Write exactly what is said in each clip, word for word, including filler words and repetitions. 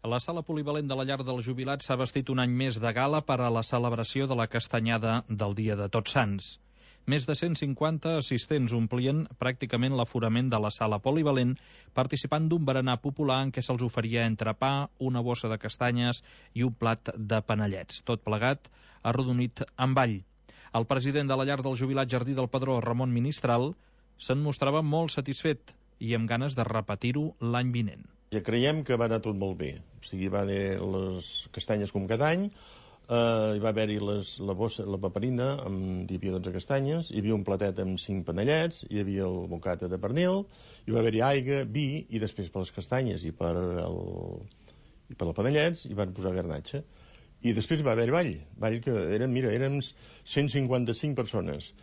La sala polivalent de la llar dels jubilats s'ha vestit un any més de gala per a la celebració de la castanyada del Dia de Tots Sants. Més de cent cinquanta assistents omplien pràcticament l'aforament de la sala polivalent, participant d'un berenar popular en què se'ls oferia entrepà, una bossa de castanyes i un plat de panellets. Tot plegat arrodonit amb all. El president de la llar del jubilat Jardí del Pedró, Ramon Ministral, se'n mostrava molt satisfet i amb ganes de repetir-ho l'any vinent. Ja creiem que va anar tot molt bé. O sigui, va haver les castanyes com cada any, eh, hi va haver-hi les, la, bossa, la paperina, amb, hi havia dotze castanyes, hi havia un platet amb cinc panellets, hi havia el bocata de pernil, hi va haver-hi aigua, vi, i després per les castanyes i per el, i per els panellets hi van posar garnatxa. I després va haver-hi ball, ball que eren, mira, eren cent cinquanta-cinc persones.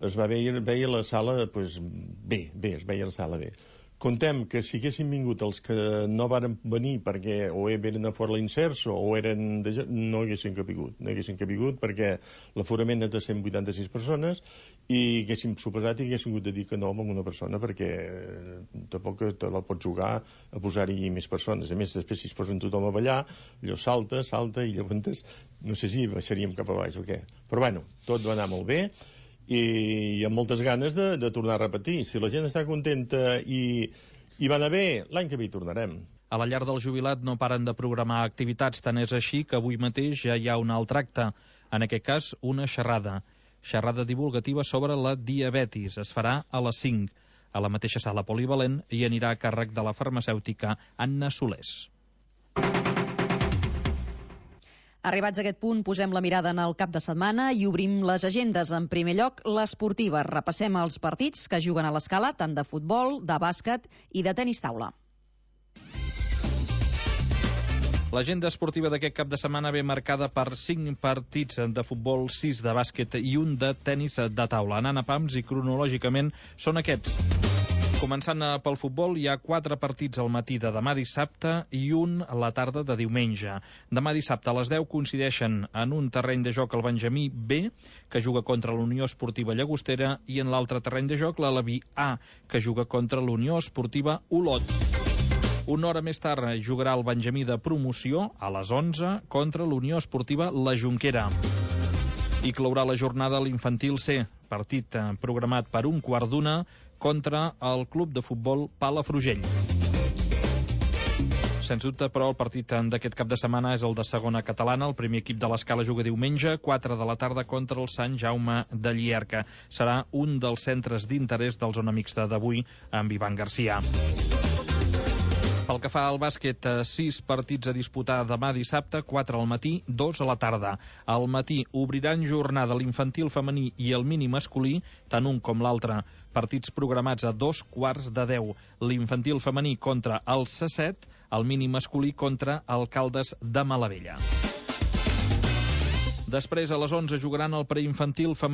Es va veia, veia la sala, pues, bé, bé, es veia la sala bé. Contem que si haguessin vingut els que no varen venir perquè o eren a fora l'inserso o eren de... no haguessin capigut, no haguessin capigut perquè l'aforament és de cent vuitanta-sis persones i haguéssim suposat i haguéssim hagut de dir que no amb una persona perquè tampoc te la pots jugar a posar-hi més persones. A més, després si es posen tothom a ballar, allò salta, salta i llavors no sé si baixaríem cap a baix o què. Però bueno, tot va anar molt bé i amb moltes ganes de, de tornar a repetir. Si la gent està contenta i, i va anar bé, l'any que ve hi tornarem. A la llar del jubilat no paren de programar activitats, tant és així que avui mateix ja hi ha un altre acte, en aquest cas una xerrada. Xerrada divulgativa sobre la diabetis. Es farà a les cinc, a la mateixa sala polivalent, i anirà a càrrec de la farmacèutica Anna Solés. Arribats a aquest punt, posem la mirada en el cap de setmana i obrim les agendes. En primer lloc, l'esportiva. Repassem els partits que juguen a l'escala, tant de futbol, de bàsquet i de tenis taula. L'agenda esportiva d'aquest cap de setmana ve marcada per cinc partits de futbol, sis de bàsquet i un de tenis de taula. Anant a pams i cronològicament són aquests. Començant pel futbol, hi ha quatre partits al matí de demà dissabte i un a la tarda de diumenge. Demà dissabte a les deu coincideixen en un terreny de joc el Benjamí B, que juga contra l'Unió Esportiva Llagostera, i en l'altre terreny de joc l'Aleví A, que juga contra l'Unió Esportiva Olot. Una hora més tard jugarà el Benjamí de promoció, a les onze, contra l'Unió Esportiva La Jonquera. I clourà la jornada l'Infantil C, partit programat per un quart d'una contra el club de futbol Palafrugell. Sens dubte, però, el partit d'aquest cap de setmana és el de segona catalana. El primer equip de l'escala juga diumenge, quatre de la tarda, contra el Sant Jaume de Llierca. Serà un dels centres d'interès del zona mixta d'avui amb Ivan Garcia. Pel que fa al bàsquet, sis partits a disputar demà dissabte, quatre al matí, dos a la tarda. Al matí obriran jornada l'infantil femení i el mini masculí, tant un com l'altre. Partits programats a dos quarts de deu. L'infantil femení contra el C set, el mini masculí contra el Caldes de Malavella. Després, a les onze, jugaran el preinfantil femení